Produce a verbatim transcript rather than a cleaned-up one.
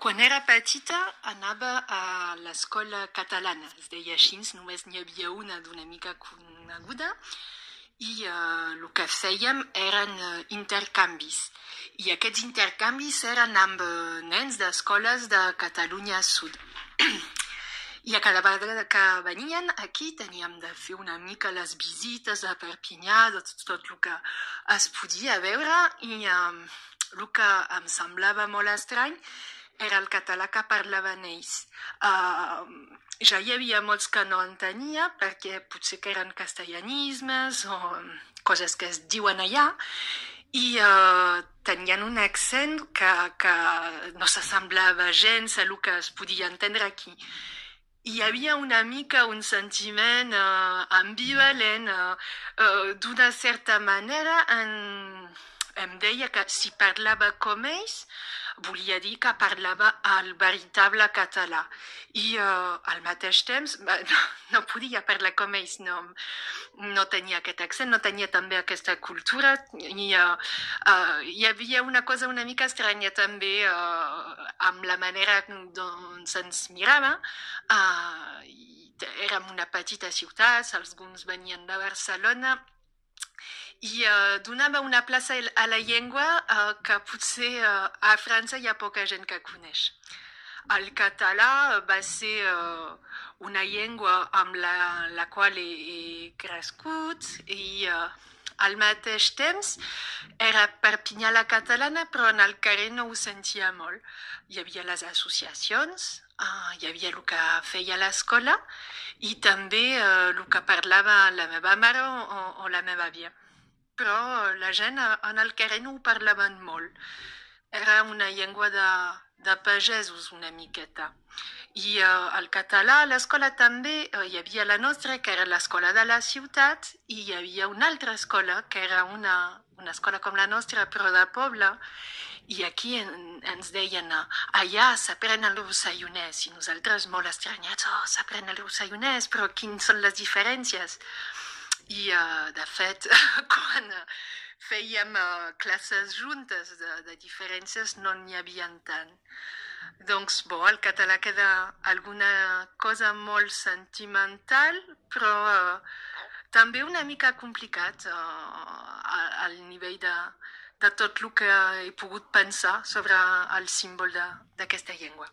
Quan era petita anava a l'escola catalana, es deia així, només n'hi havia una d'una mica coneguda, i eh, el que fèiem eren eh, intercanvis. I aquests intercanvis eren amb eh, nens d'escoles de Catalunya Sud. I a cada vegada que venien aquí teníem de fer una mica les visites a Perpinyà, de tot, tot el que es podia veure, i eh, el que em semblava molt estrany era el català que parlaven ells. Uh, ja hi havia molts que no entenia, perquè potser que eren castellanismes o coses que es diuen allà, i uh, tenien un accent que, que no s'assemblava gens a el que es podia entendre aquí. Hi havia una mica un sentiment uh, ambivalent, uh, uh, d'una certa manera en, em deia que si parlava com ells volia dir que parlava el veritable català i uh, al mateix temps no, no podia parlar com ells, no, no tenia aquest accent, no tenia també aquesta cultura i uh, uh, hi havia una cosa una mica estranya també uh, amb la manera dont se'ns mirava. Uh, érem una petita ciutat, alguns venien de Barcelona i uh, donava una plaça a la llengua uh, que potser uh, a França hi ha poca gent que coneix. El català va ser uh, una llengua amb la, la qual he, he crescut i uh, al mateix temps era Perpinyà la catalana, però en el carrer no ho sentia molt. Hi havia les associacions, uh, hi havia el que feia l'escola i també uh, el que parlava la meva mare o, o la meva àvia. Però la gent en el carrer no ho parlaven molt. Era una llengua de, de pagesos una miqueta. I uh, el català a l'escola també uh, hi havia la nostra, que era l'escola de la ciutat, i hi havia una altra escola, que era una, una escola com la nostra, però de poble, i aquí en, ens deien uh, allà s'aprèn el rossellonès, i nosaltres molt estranyats, oh, s'aprèn el rossellonès, però quines són les diferències? I, uh, de fet, quan fèiem uh, classes juntes de, de diferències no n'hi havia tant. Doncs, bo, el català queda alguna cosa molt sentimental, però uh, també una mica complicat uh, al nivell de, de tot el que he pogut pensar sobre el símbol d'aquesta llengua.